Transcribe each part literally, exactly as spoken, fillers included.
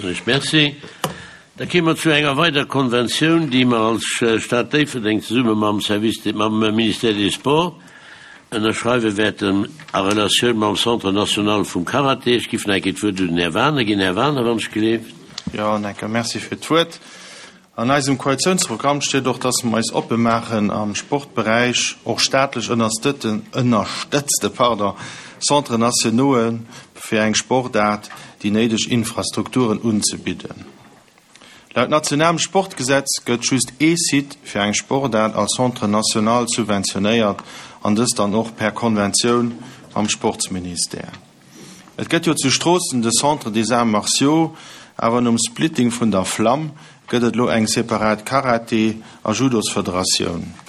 Ech merci. Da kéime mer zu enger weider Konventioun, déi mer als Stad Déifferdeng zesumme mam Service, mam Ministère des Sports ënnerschreiwe wäerten a Relatioun mam Centre national vum Karaté. Ech giff nach eng Kéier d'Wuert un den Här Wagener ginn. Här Wagener, wann ech gleeft. Jo, en enke Merci fir d'Wuert. An eisem Koalitiounsprogramm steet och, dass mer eis oppe maachen am Sportberäich och staatlech ënnerstëtten, ënnerstëtzte, pardon, Centres nationaux fir eng Sportaart déi néideg Infrastrukturen unzebidden. Laut nationalem Sportgesetz gëtt just ee Site fir eng Sportaart als Centre national subventionéiert an dëst dann och per Konventioun mam Sportsministère. Et gëtt jo zu Stroossen de Centre des Arts Martiaux, awer nom Splitting vun der Flam gëtt et elo eng separat Karate a Judosfederatioun.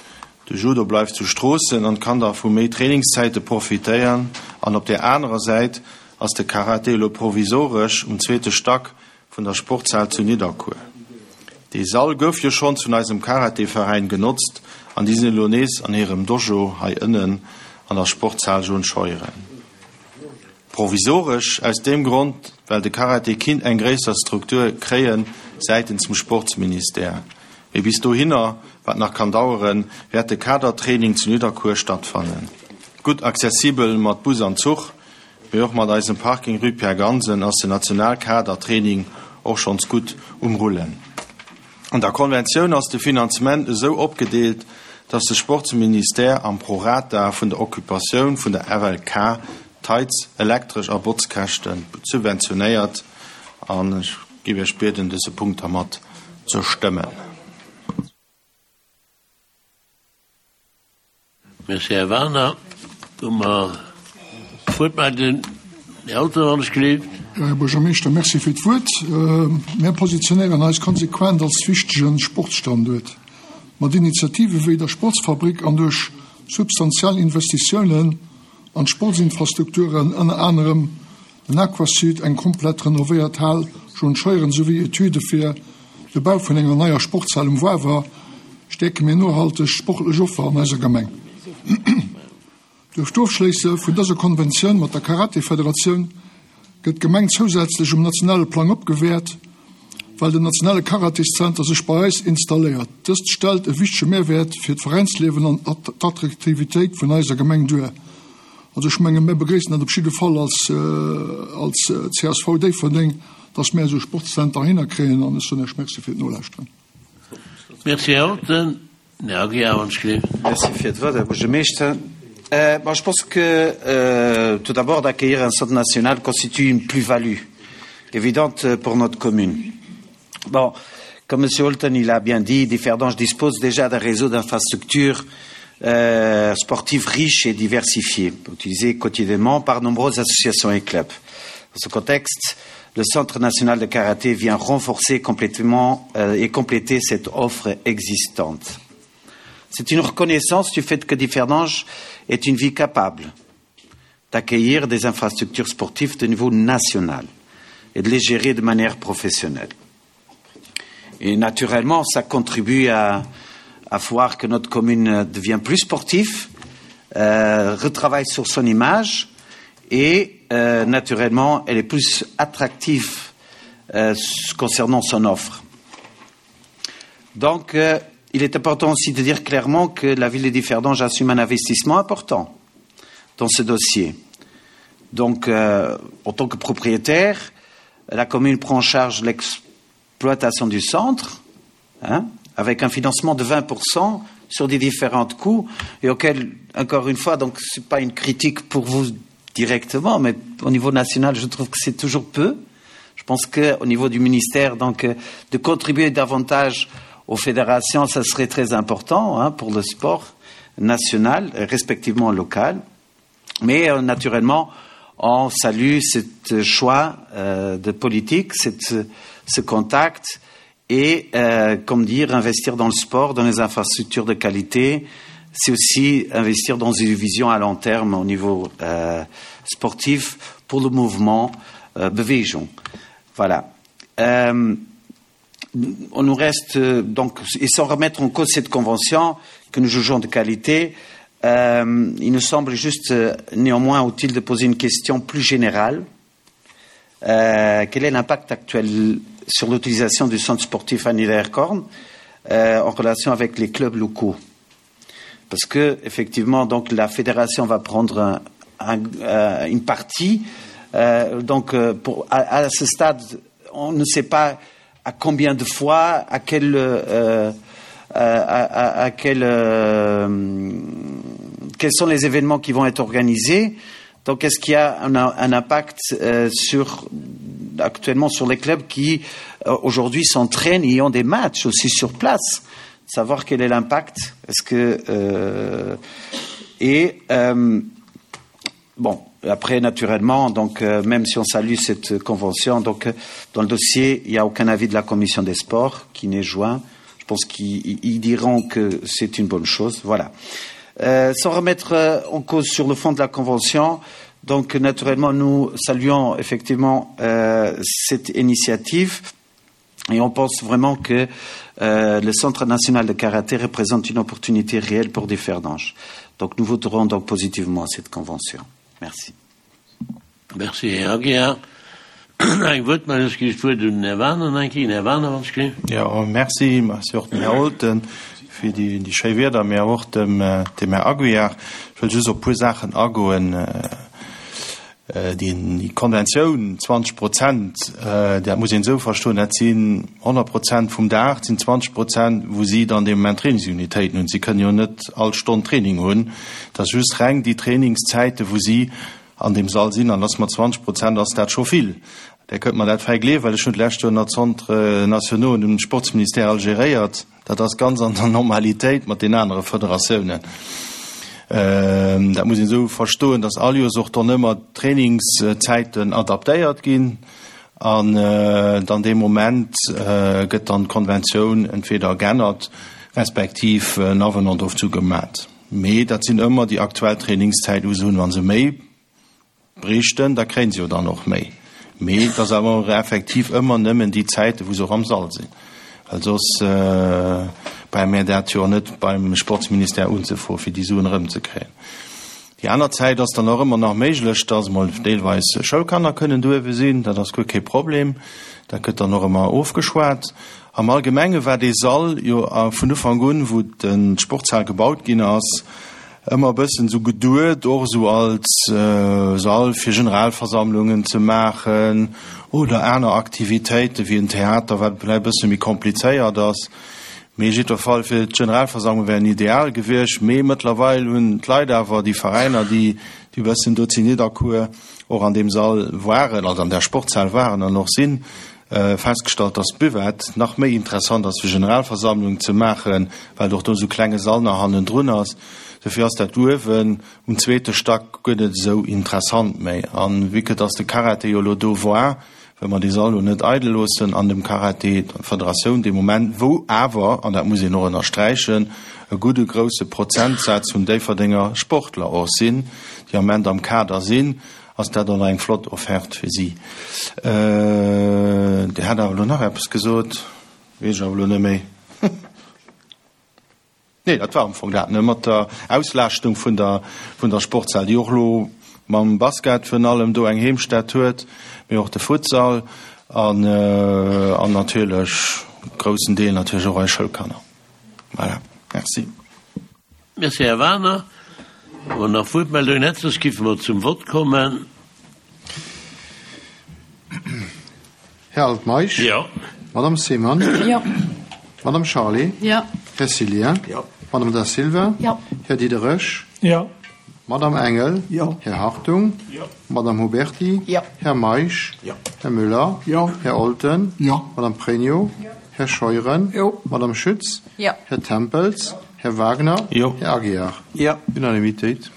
De Judo bleift zu Stroossen an kann da vu méi Trainingszäite profitéieren an op där anerer Säit ass de Karate elo provisoresch um zweete Stack vun der Sportshal zu Nidderkuer. Dee Sall gouf jo schonns vun eisem Karateveräin genotzt an déi sinn elo nees an hirem Dojo hei ënnen an der Sportshal John Scheuren. Provisoresch aus deem Grond, well de Karate kinnt eng gréisser Struktur kréie säitens dem Sportsministère. Mee bis dohinner, wat nach kann daueren, wäert de Kadertraining zu Nidderkuer stattfannen. Gutt accessibel mat Bus an Zuch, mee och mat eisem Parking Rue Pierre Gansen ass den Nationalkadertraining och schonns gutt um Rullen. An der Konventioun ass de Finanzement esou opgedeelt, dass de Sportsministère am Prorata vun der Occupatioun vun der F L K d'Heiz-, Elektresch a Botzkäschte subventionéiert an ech géif Iech bieden, dëse Punkt da mat ze stëmmen. Merci, Här Wagener. Hu mer d'Wuertmeldung, Här Alter, wann ech gleeft. Jo, Här Buergermeeschter, merci fir d'Wuert. Mir positionéieren eis konsequent als wichtege Sportsstanduert. Mat Initiative wéi der Sportsfabrik an duerch substantiell Investitiounen an d'Sportsinfrastrukturen, ënner anerem den Aquasud, eng komplett renovéiert Hal John Scheuren souwéi Etüde fir de Bau vun enger neier Sportshal um Wawer, stäerke mir nohalteg sportlech Offer an eiser Gemeng. Duerch d'Ofschléisse vun dëser Konventioun mat der Karate-Federatioun gëtt d'Gemeng zousätzlech um nationale Plang opgewäert, well den nationale Karateszenter sech bei eis installéiert. Dëst stellt e wichtege Mehrwäert fir d'Veräinsliewen an d'Attraktivitéit vun eiser Gemeng duer. Also ech menge mir begréissen dat op jidde Fall als, als C S V Déifferdeng, dass mir esou e Sportszenter hinnerkréien an ech soen Iech Merci fir d'Nolauschteren. Merci, Här Alten. Här Aguiar, wann ech gleeft. Merci fir d'Wuert, Här Buergermeeschter. Euh, bon, je pense que euh, tout d'abord d'accueillir un centre national constitue une plus-value évidente pour notre commune. Bon, comme monsieur. Holton il a bien dit, Differdange dispose déjà d'un réseau d'infrastructures euh, sportives riches et diversifiées, utilisées quotidiennement par nombreuses associations et clubs. Dans ce contexte, le Centre national de karaté vient renforcer complètement euh, et compléter cette offre existante. C'est une reconnaissance du fait que Differdange est une ville capable d'accueillir des infrastructures sportives de niveau national et de les gérer de manière professionnelle. Et naturellement, ça contribue à, à voir que notre commune devient plus sportive, euh, retravaille sur son image et euh, naturellement, elle est plus attractive euh, concernant son offre. Donc, euh, il est important aussi de dire clairement que la ville de Differdange assume un investissement important dans ce dossier. Donc, euh, en tant que propriétaire, la commune prend en charge l'exploitation du centre, hein, avec un financement de vingt pour cent sur des différents coûts, et auquel, encore une fois, donc ce n'est pas une critique pour vous directement, mais au niveau national, je trouve que c'est toujours peu. Je pense qu'au niveau du ministère, donc, euh, de contribuer davantage aux fédérations, ça serait très important, hein, pour le sport national, respectivement local. Mais euh, naturellement, on salue ce choix euh, de politique, cette, ce contact et, euh, comme dire, investir dans le sport, dans les infrastructures de qualité, c'est aussi investir dans une vision à long terme au niveau euh, sportif pour le mouvement euh, Bewegung. Voilà. Euh, on nous reste euh, donc, et sans remettre en cause cette convention que nous jugeons de qualité, euh, il nous semble juste euh, néanmoins utile de poser une question plus générale. Euh, quel est l'impact actuel sur l'utilisation du centre sportif à Niederkorn euh, en relation avec les clubs locaux Parce que effectivement, donc la fédération va prendre un, un, euh, une partie. Euh, donc euh, pour, à, à ce stade, on ne sait pas à combien de fois, à quel, euh, à, à, à quel, euh, quels sont les événements qui vont être organisés. Donc est-ce qu'il y a un, un impact euh, sur, actuellement sur les clubs qui euh, aujourd'hui s'entraînent et ont des matchs aussi sur place Savoir quel est l'impact Est-ce que euh, et euh, bon après naturellement donc euh, même si on salue cette convention donc euh, dans le dossier il n'y a aucun avis de la commission des sports qui n'est joint je pense qu'ils diront que c'est une bonne chose voilà euh, sans remettre euh, en cause sur le fond de la convention donc naturellement nous saluons effectivement euh, cette initiative et on pense vraiment que euh, le centre national de karaté représente une opportunité réelle pour des ferdanges donc nous voterons donc positivement à cette convention merci merci Herr Eng Wuertmeldung, ech ginn d'Wuert un den Här Werner nach eng Kéier. Här Werner, wann ech ginn. Jo, merci, merci och dem Här Olten fir déi, déi schéi Wierder, mee och dem, dem Här Aguiar. Ech wëll just op e puer Saachen agoen. Déi, déi Konventioun, zwanzeg Prozent, dat muss een esou verstoen, dat sinn honnert Prozent vum Dag, dat sinn zwanzeg Prozent, wou si dann dee Moment Trainingsunitéiten hunn. Si kënnen jo net all Stonn Training hunn. Dat ass just reng déi Trainingszäiten, wou si an deem Sall sinn, an ass mat zwanzeg Prozent ass dat scho vill. Där kënnt mer dat fäi gleewen, well ech hunn d'lescht Joer nach d'Centres nationaux dem Sportsministère all geréiert. Dat ass ganz an der Normalitéit mat den anere Federatiounen. Dat muss een esou verstoen, datt all Joers och dann ëmmer d'Trainingszäiten adaptéiert ginn an dann dee Moment gëtt dann d'Konventioun entweder geännert respektiv en Avenant dozou gemat. Mee dat sinn ëmmer déi aktuell Trainingszäiten, wou se hunn. Wa se méi bräichten, da kréien se jo dann och méi. Mee et ass awer effektiv ëmmer nëmmen déi Zäiten, wou se och am Sall sinn, well soss brauche mir dat jo net beim Sportsministère unzefroen, fir déi Suen erëmzekréien. Déi aner Zäit ass dann och ëmmer nach méiglech, dass emol deelweis Schoulkanner kënnen douewe sinn, dat ass guer kee Problem, dat gëtt dann och ëmmer ofgeschwat. Am Allgemenge war dee Sall jo vun Ufank un, wou d'Sportshal gebaut ginn ass, ëmmer e bëssen esou geduet, och esou als Sall fir Generalversammlungen ze maachen oder aner Aktivitéiten, wéi en Theater, wat vläicht e bësse méi komplizéiert ass. Mee jiddwer Fall fir d'Generalversammlung wär en ideal gewiescht. Mee mëttlerweil hunn d'Leit awer, déi Veräiner, déi déi e bëssen do zu Nidderkuer och an deem Sall waren, also an där Sportshal waren an och sinn, festgestallt, dass d'Buvette nach méi interessant ass fir Generalversammlungen ze maachen, well och do esou klenge Sall nach hannendrun ass. Dofir ass dat uewen um zweete Stack guer net esou interessant méi. A vue que dass de Karate jo elo do war, wëlle mer dee Sall elo net eidel loossen an dem Karate, der Federatioun dee Moment, wou awer, an dat muss een och ënnersträichen, e gudde grouse Prozentsaz vun Déifferdenger Sportler och sinn, déi am Moment am Kader sinn, ass dat och nach eng flott Offerte fir si. Dir hat awer elo nach eppes gesot, weess ech awer elo net méi. Nee, dat war am Fong dat, ne, mat der Auslaaschtung vun der, vun der Sportshal, déi och elo mam Basket virun allem do eng Heemstätt huet, mee och de Futsal an, an natierlech groussen Deel natierlech och eis Schoulkanner. Voilà, merci. Merci, Här Werner. Wann nach Wuertmeldungen hätt, soss géife mer zum Vott kommen. Här Altmeisch. Jo. Madame Seemann. Jo. Madame Charlé. Jo. Här Cillien. Jo. Madame Da Silva. Jo. Här Diderich. Jo. Madame Engel. Jo. Här Hartung. Jo. Madame Huberti. Jo. Här Meisch. Jo. Här Müller. Jo. Här Olten. Jo. Madame Pregno. Jo. Här Scheuren. Jo. Madame Schütz. Jo. Här Tempels. Här Wagner. Jo. Här Aguiar. Jo. Unanimitéit.